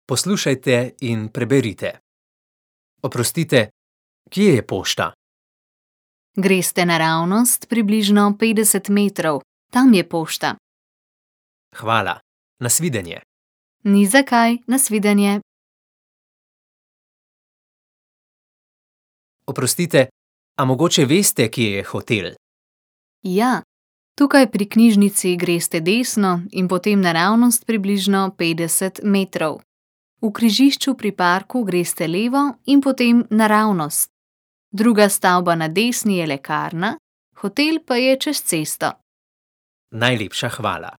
Poslušajte in preberite. Oprostite, kje je pošta? Greste naravnost približno 50 metrov, tam je pošta. Hvala. Nasvidenje. Ni za kaj, nasvidenje. Oprostite, a mogoče veste, kje je hotel? Ja, tukaj pri knjižnici greste desno in potem naravnost približno 50 metrov. V križišču pri parku greste levo in potem naravnost. Druga stavba na desni je lekarna, hotel pa je čez cesto. Najlepša hvala.